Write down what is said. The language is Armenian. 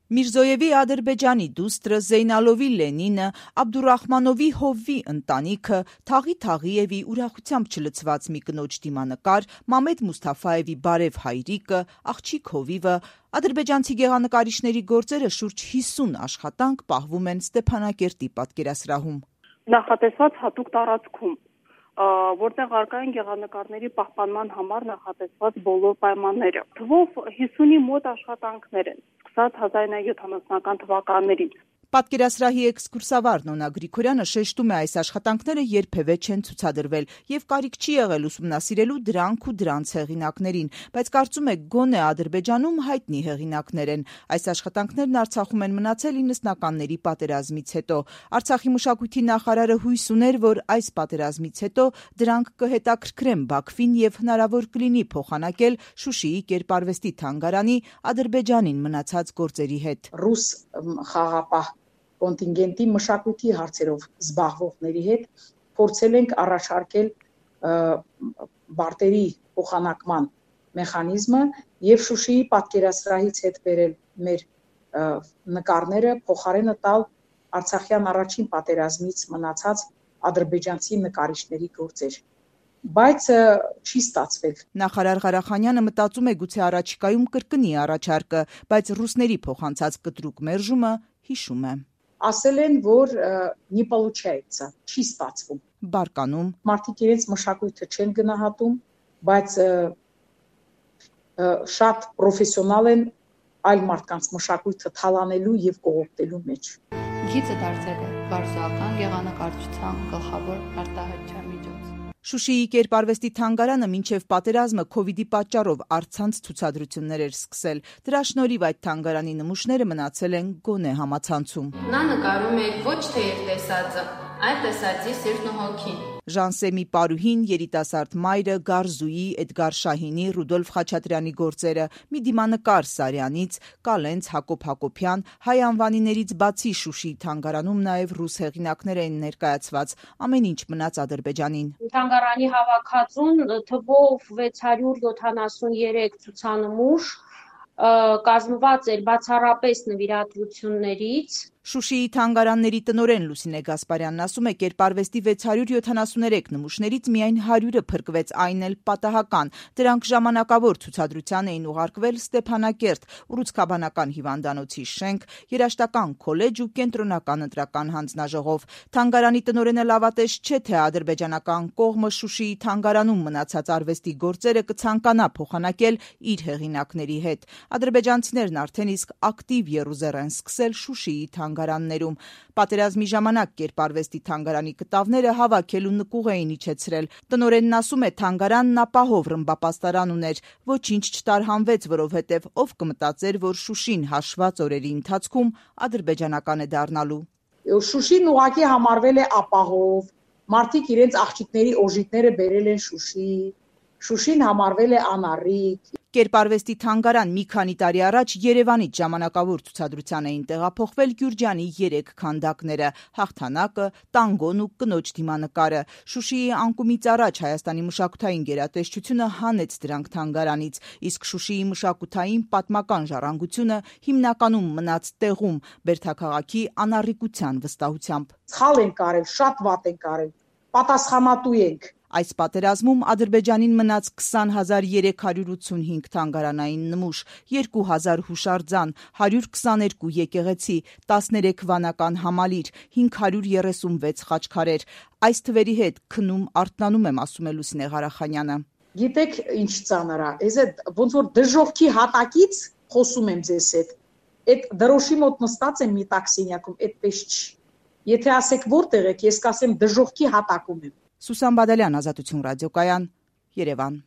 Միրզոյևի Ադրբեջանի դուստրը Զեյնալովի Լենինը, Աբդուրախմանովի Հովվի ընտանիքը, Թաղի ուրախությամբ չլցված մի կնոջ դիմանկար, Մամեդ Մուսթաֆայևի բարև հայրիկը, աղջիկ հովիվը, ադրբեջանցի գեղանկարիչների գործերը շուրջ 50 աշխատանք պահվում են Ստեփանակերտի պատկերասրահում։ Նախատեսված հատուկ տարածքում, որտեղ առկա են գեղանկարների պահպանման համար նախատեսված բոլոր պայմանները։ Թվով 50-ի մոտ աշխատանքներ են, սկսած 1970-ական թվականներից։ Պատկերասրահի էքսկուրսավար Նոնա Գրիգորյանը շեշտում է, այս աշխատանքները երբևէ չեն ցուցադրվել եւ կարիք չի եղել ուսումնասիրելու դրանք ու դրանց հեղինակներին, բայց կարծում է գոնե Ադրբեջանում հայտնի հեղինակներ են։ Այս աշխատանքներն Արցախում են մնացել 90-ականների պատերազմից հետո։ Արցախի մշակույթի նախարարը հույս ուներ, որ այս պատերազմից հետո դրանք կհետաքրքրեն Բաքվին եւ հնարավոր կլինի փոխանակել Շուշիի կերպարվեստի թանգարանի Ադրբեջանին մնացած գործերի հետ։ Ռուս խաղապահ կոնտինգենտի մշակույթի հարցերով զբաղվողների հետ փորձել ենք առաջարկել բարտերի փոխանակման մեխանիզմը եւ Շուշիի պատկերասրահից հետ բերել մեր նկարները փոխարենը տալ Արցախյան առաջին պատերազմից մնացած ադրբեջանցի նկարիչների գործեր, բայց չի ստացվել։ Նախարար Ղարախանյանը մտածում է գուցե առաջիկայում կրկնի առաջարկը, բայց ռուսների փոխանցած կտրուկ մերժումը հիշում է։ Ասել են, որ не получается, չի ստացվում։ Բարկանում մարդիկ իրենց մշակույթը չեն գնահատում, բայց շատ պրոֆեսիոնալ են այլ մարդկանց մշակույթը թալանելու եւ կողոպտելու մեջ։ Գիծը դարձել է վարժական գեղանկարչության գլխավոր արտահայտչական միջոց։ Շուշիի կերպարվեստի թանգարանը մինչև պատերազմը Քովիդի պատճառով առցանց ցուցադրություններ էր սկսել։ Դրա շնորհիվ այդ թանգարանի նմուշները մնացել են գոնե համացանցում։ Նա նկարում է ոչ թե իր տեսածը, այլ տեսածի սիրտն ու հոգին։ Ժանսեմի Պարուհին, երիտասարդ մայրը, Գարզուի, Էդգար Շահինի, Ռուդոլֆ Խաչատրյանի գործերը, մի դիմանկար Սարյանից, Կալենց, Հակոբ Հակոբյան, հայ անվանիներից բացի Շուշիի թանգարանում նաև ռուս հեղինակներ են ներկայացված, ամեն ինչ մնաց Ադրբեջանին։ Թանգարանի հավաքածուն թվով 673 ցուցանմուշ կազմված էր բացառապես նվիրատվություններից։ Շուշիի թանգարանների տնօրեն Լուսինե Գասպարյանն ասում է, կերպարվեստի 673 նմուշներից միայն 100-ը փրկվեց, այն էլ պատահական։ Դրանք ժամանակավոր ցուցադրության էին ուղարկվել Ստեփանակերտ, Ուռուցքաբանական հիվանդանոցի շենք, երաժշտական քոլեջ ու կենտրոնական ընտրական հանձնաժողով։ Թանգարանի տնօրենը լավատես չէ, թե ադրբեջանական կողմը Շուշիի թանգարանում մնացած արվեստի գործերը կցանկանա փոխանակել իր հեղինակների հետ։ Ադրբեջանցիներն արդեն իսկ ակտիվ եռուզեռ են սկսել Շուշիի թանգարաններում։ Պատերազմի ժամանակ կերպարվեստի թանգարանի կտավները հավաքելու նկուղ էին իջեցրել։ Տնօրենն ասում է, թանգարանն ապահով ռմբապաստարան ուներ, ոչինչ չտարհանվեց, որովհետև ով կմտածեր, որ Շուշին հաշված օրերի ընթացքում ադրբեջանական է դառնալու։ Շուշին ուղղակի համարվել է ապահով, մարդիկ իրենց աղջիկների օժիտները բերել են Շուշի, Շուշին համարվել է անառիկ։ Կերպարվեստի թանգարան մի քանի տարի առաջ Երևանից ժամանակավոր ցուցադրության էին տեղափոխվել Գյուրջանի 3 քանդակները՝ հաղթանակը, տանգոն ու կնոջ դիմանկարը։ Շուշիի անկումից առաջ Հայաստանի մշակութային գերատեսչությունը հանեց դրանք թանգարանից, իսկ Շուշիի մշակութային պատմական ժառանգությունը հիմնականում մնաց տեղում, Բերդաքաղաքի անառիկության վստահությամբ։ Սխալ են կարել, շատ վատ են կարել, պատասխանատու ենք։ Այս պատերազմում Ադրբեջանին մնաց 20385 թանգարանային նմուշ, 2000 հուշարձան, 122 եկեղեցի, 13 վանական համալիր, 536 խաչքարեր։ Այս թվերի հետ քնում արթնանում եմ, ասում է Լուսինե Ղարախանյանը։ Գիտեք ինչ ծանր է, ես ոնց որ դժոխքի հատակից խոսում եմ ձեզ հետ։ Այդ դրոշի մոտ նստած եմ մի տաքսինյակում, այդպես չի։ Եթե ասեք որտեղ եք, ես կասեմ դժոխքի հատակում եմ։ Սուսան Բադալյան, Ազատություն ռադիոկայան, Երևան։